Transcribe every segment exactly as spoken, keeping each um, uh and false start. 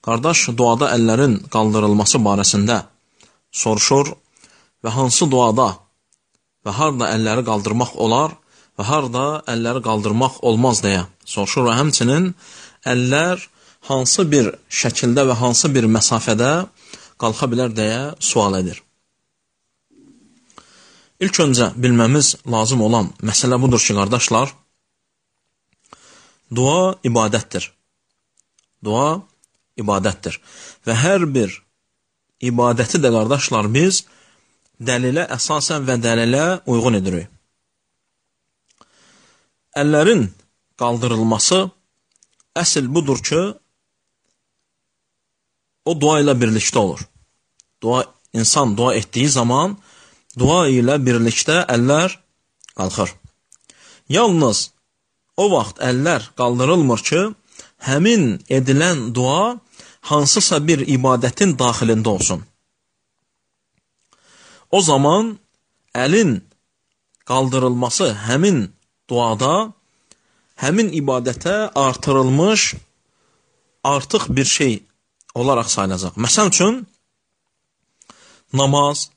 qardaş duada əllərin qaldırılması barəsində soruşur və hansı duada və harada əlləri qaldırmaq olar və harada əlləri qaldırmaq olmaz deyə soruşur və həmçinin əllər hansı bir şəkildə və hansı bir məsafədə qalxa bilər deyə sual edir. İlk öncə bilməmiz lazım olan məsələ budur ki, qardaşlar, dua ibadətdir. Dua ibadətdir. Və hər bir ibadəti də, qardaşlar, biz dəlilə əsasən və dəlilə uyğun edirik. Əllərin qaldırılması əsl budur ki, o dua ilə birlikdə olur. Dua, insan dua etdiyi zaman dua ilə birlikdə əllər qalxır. Yalnız o vaxt əllər qaldırılmır ki, həmin edilən dua hansısa bir ibadətin daxilində olsun. O zaman əlin qaldırılması həmin duada, həmin ibadətə artırılmış artıq bir şey olaraq sayılacaq. Məsəl üçün, namaz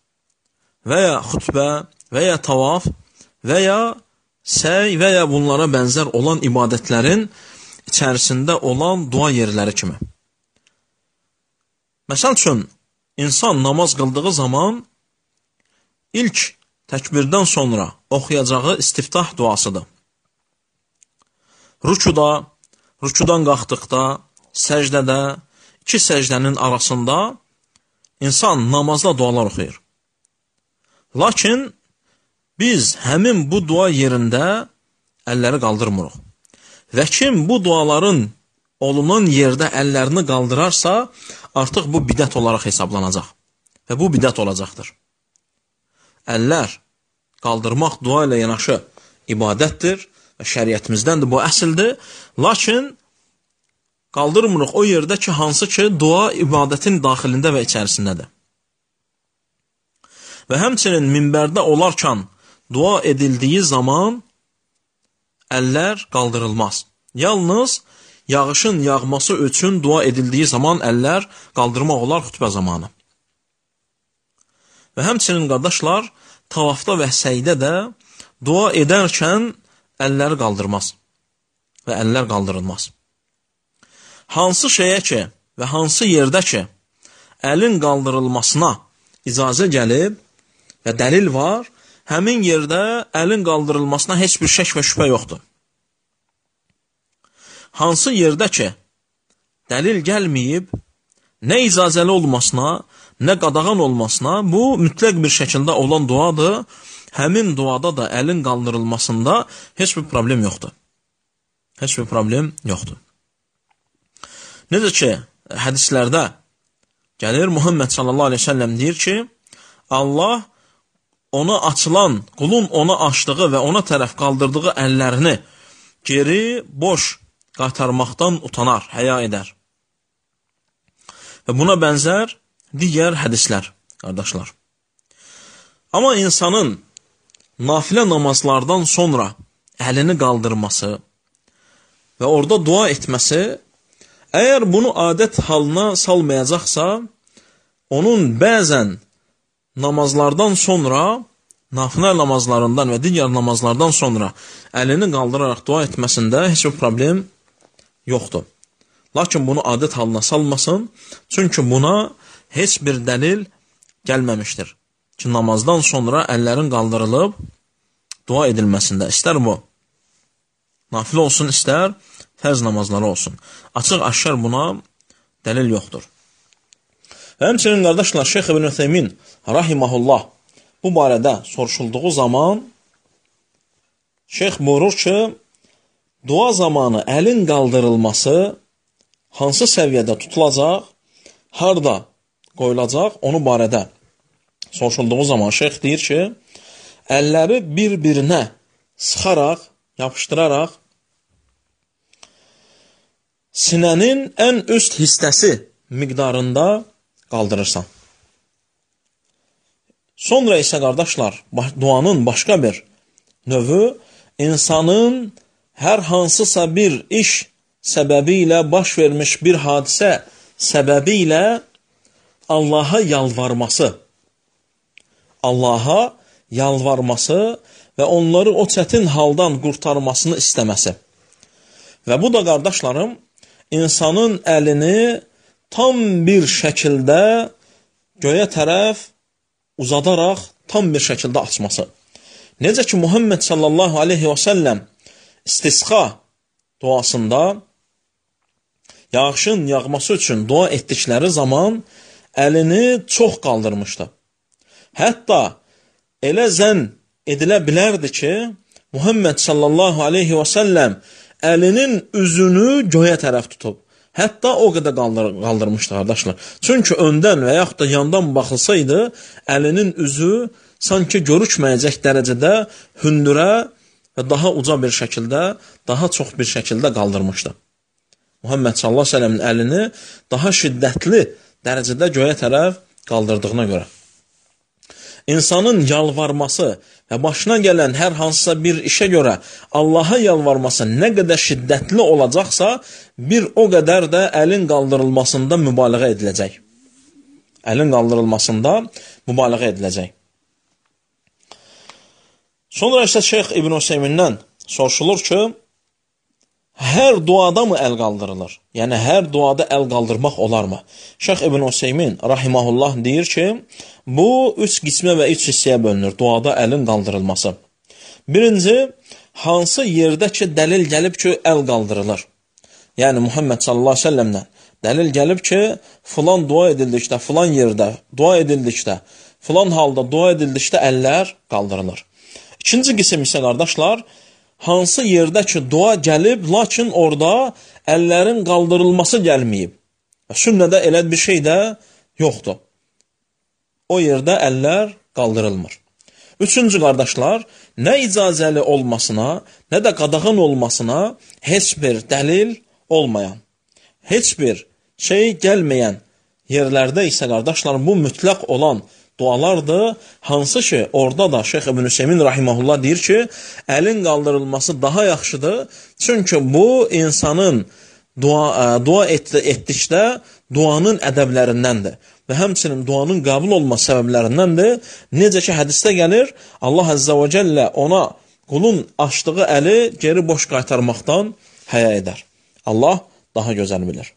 və ya xütbə və ya tavaf və ya səy və ya bunlara bənzər olan ibadətlərin içərisində olan dua yerləri kimi. Məsəl üçün, insan namaz qıldığı zaman ilk təkbirdən sonra oxuyacağı istiftah duasıdır. Rükuda, rükudan qalxdıqda, səcdədə, iki səcdənin arasında insan namazda dualar oxuyur. Lakin biz həmin bu dua yerində əlləri qaldırmırıq. Və kim bu duaların olunan yerdə əllərini qaldırarsa, artıq bu bidət olaraq hesablanacaq. Və bu bidət olacaqdır. Əllər qaldırmaq dua ilə yanaşı ibadətdir və şəriətimizdən də bu əsildir. Lakin qaldırmırıq o yerdə ki, hansı ki, dua ibadətin daxilində və içərisindədir. Və həmçinin minbərdə olarkən dua edildiyi zaman əllər qaldırılmaz. Yalnız yağışın yağması üçün dua edildiyi zaman əllər qaldırmaq olar xütbə zamanı. Və həmçinin, qardaşlar, tavafda və səydə də dua edərkən əlləri qaldırmaz və əllər qaldırılmaz. Hansı şeyə ki və hansı yerdə ki əlin qaldırılmasına icazə gəlib və dəlil var, həmin yerdə əlin qaldırılmasına heç bir şək və şübhə yoxdur. Hansı yerdə ki dəlil gəlməyib, nə icazəli olmasına, nə qadağan olmasına, bu mütləq bir şəkildə olan duadır. Həmin duada da əlin qaldırılmasında heç bir problem yoxdur. Heç bir problem yoxdur. Necə ki, hədislərdə gəlir, Muhammed sallallahu aleyhi ve sellem deyir ki, Allah ona açılan, qulun ona açdığı və ona tərəf qaldırdığı əllərini geri, boş qaytarmaqdan utanar, həya edər. Və buna bənzər digər hədislər, qardaşlar. Amma insanın nafilə namazlardan sonra əlini qaldırması və orada dua etməsi, əgər bunu adət halına salmayacaqsa, onun bəzən namazlardan sonra, nafilə namazlarından və digər namazlardan sonra əlini qaldıraraq dua etməsində heç bir problem yoxdur. Lakin bunu adət halına salmasın, çünki buna heç bir dəlil gəlməmişdir ki, namazdan sonra əllərin qaldırılıb dua edilməsində. İstər bu nafilə olsun, istər fərz namazları olsun. Açıq aşkar buna dəlil yoxdur. Və həmçinin, qardaşlar, Şeyx İbn Ütheymin rahiməhullah bu barədə soruşulduğu zaman Şeyx buyurur ki, dua zamanı əlin qaldırılması hansı səviyyədə tutulacaq, harada qoyulacaq, onu barədə soruşulduğu zaman şeyx deyir ki, əlləri bir-birinə sıxaraq, yapışdıraraq sinənin ən üst hissəsi miqdarında qaldırırsan. Sonra isə, qardaşlar, duanın başqa bir növü insanın hər hansısa bir iş səbəbi ilə baş vermiş bir hadisə səbəbi ilə Allaha yalvarması, Allaha yalvarması və onları o çətin haldan qurtarmasını istəməsi. Və bu da, qardaşlarım, insanın əlini tam bir şəkildə göyə tərəf uzadaraq tam bir şəkildə açması. Necə ki, Muhammed sallallahu aleyhi və səlləm istisqa duasında yağışın yağması üçün dua etdikləri zaman əlini çox qaldırmışdı. Hətta elə zənn edilə bilərdi ki, Muhammed sallallahu aleyhi və səlləm əlinin üzünü göyə tərəf tutub. Hətta o qədər qaldır, qaldırmışdı, qardaşlar. Çünki öndən və yaxud da yandan baxılsaydı, əlinin üzü sanki görükməyəcək dərəcədə hündürə və daha uca bir şəkildə, daha çox bir şəkildə qaldırmışdı. Muhammed sallallahu aleyhi və səlləmin əlini daha şiddətli dərəcədə göyə tərəf qaldırdığına görə. İnsanın yalvarması və başına gələn hər hansısa bir işə görə Allaha yalvarması nə qədər şiddətli olacaqsa, bir o qədər də əlin qaldırılmasında mübaliğə ediləcək. Əlin qaldırılmasında mübaliğə ediləcək. Sonra isə Şeyx İbn Hüseymindən soruşulur ki, hər duada mı əl qaldırılır? Yəni, hər duada əl qaldırmaq olarmı? Şeyx İbn Hüseymin rahiməhullah deyir ki, bu üç qismə və üç hissəyə bölünür, duada əlin qaldırılması. Birinci, hansı yerdə ki, dəlil gəlib ki, əl qaldırılır? Yəni, Muhammed sallallahu aleyhi ve səlləmdən dəlil gəlib ki, filan dua edildikdə, filan yerdə dua edildikdə, filan halda dua edildikdə əllər qaldırılır. İkinci qism isə, qardaşlar, hansı yerdə ki, dua gəlib, lakin orada əllərin qaldırılması gəlməyib. Sünnədə elə bir şey də yoxdur. O yerdə əllər qaldırılmır. Üçüncü, qardaşlar, nə icazəli olmasına, nə də qadağan olmasına heç bir dəlil olmayan, heç bir şey gəlməyən yerlərdə isə, qardaşlar, bu mütləq olan dualardır, hansı ki, orada da Şeyx İbn Hüseymin rahiməhullah deyir ki, əlin qaldırılması daha yaxşıdır, çünki bu insanın dua, dua etdi, etdikdə duanın ədəblərindəndir və həmçinin duanın qəbul olma səbəblərindəndir. Necə ki, hədisdə gəlir, Allah Əzzə və Cəllə ona qulun açdığı əli geri boş qaytarmaqdan həya edər. Allah daha gözəl bilir.